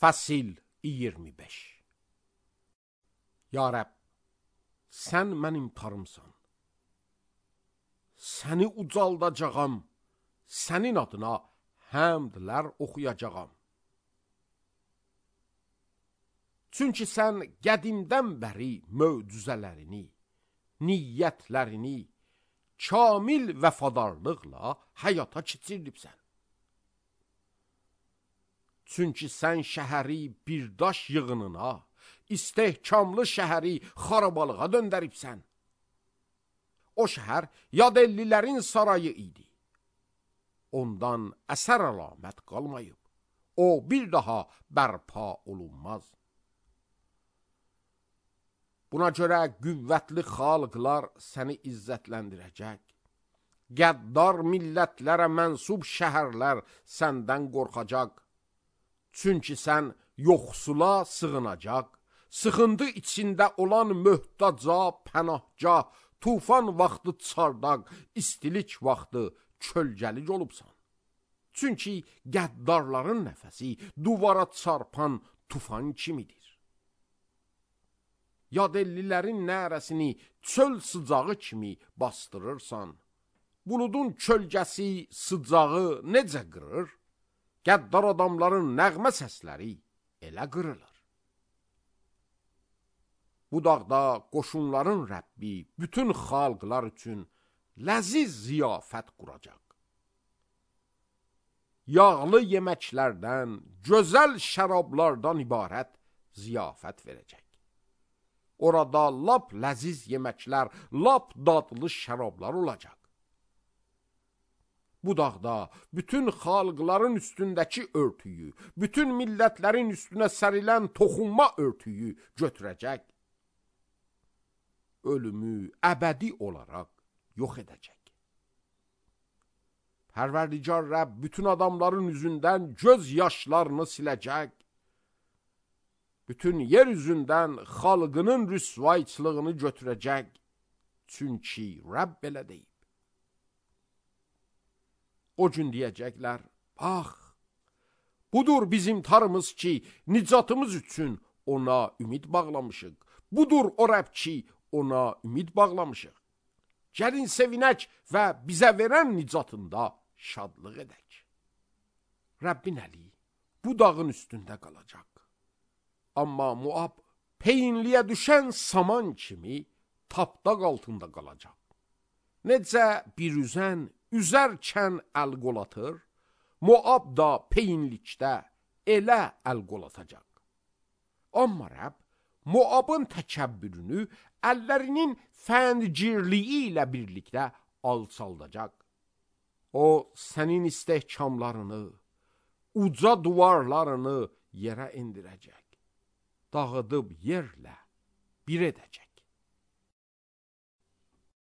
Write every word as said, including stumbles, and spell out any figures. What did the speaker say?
Fəsil iyirmi beş. Ya Rəbb, sən mənim tarımsan. Səni ucaldacağam, sənin adına həmdlər oxuyacağam. Çünki sən qədimdən bəri möcüzələrini, niyyətlərini kamil vəfadarlıqla həyata keçirdibsən. Çünki sən şəhəri bir daş yığınına, istehkamlı şəhəri xarabalığa döndəribsən. O şəhər yadellilərin sarayı idi. Ondan əsər əlamət qalmayıb. O bir daha bərpa olunmaz. Buna görə qüvvətli xalqlar səni izzətləndirəcək. Qəddar millətlərə mənsub şəhərlər səndən qorxacaq. Çünki sən yoxsula sığınacaq, sıxıntı içində olan möhtaca, pənahca, tufan vaxtı çardaq, istilik vaxtı kölgəlik olubsan. Çünki qəddarların nəfəsi duvara çarpan tufan kimidir. Yadellilərin nərəsini çöl sıcağı kimi bastırırsan. Buludun kölgəsi sıcağı necə qırır? Qəddar adamların nəğmə səsləri elə qırılır. Bu dağda qoşunların Rəbbi bütün xalqlar üçün ləziz ziyafət quracaq. Yağlı yeməklərdən, gözəl şərablardan ibarət ziyafət verəcək. Orada lap ləziz yeməklər, lap dadlı şərablar olacaq. Bu dağda bütün xalqların üstündəki örtüyü, bütün millətlərin üstünə sərilən toxunma örtüyü götürəcək. Ölümü əbədi olaraq yox edəcək. Pərverdigar Rəbb bütün adamların üzündən göz yaşlarını siləcək. Bütün yer üzündən xalqının rüsvayçılığını götürəcək. Çünki Rəbb belə deyib. O gün deyəcəklər, bax, budur bizim tarımız ki, nicatımız üçün ona ümid bağlamışıq. Budur o Rəbb ki, ona ümid bağlamışıq. Gəlin sevinək və bizə verən nicatında şadlıq edək. Rəbbin əli bu dağın üstündə qalacaq. Amma Moab peyinliyə düşən saman kimi tapdaq altında qalacaq. Necə bir üzən üzərkən əl qolatır, Moab da peyinlikdə elə əl qolatacaq. Amma Rəbb Moabın təkəbbürünü əllərinin fəncirliyi ilə birlikdə alçaldacaq. O sənin istehkamlarını, uca duvarlarını yerə indirəcək. Dağıdıb yerlə bir edəcək.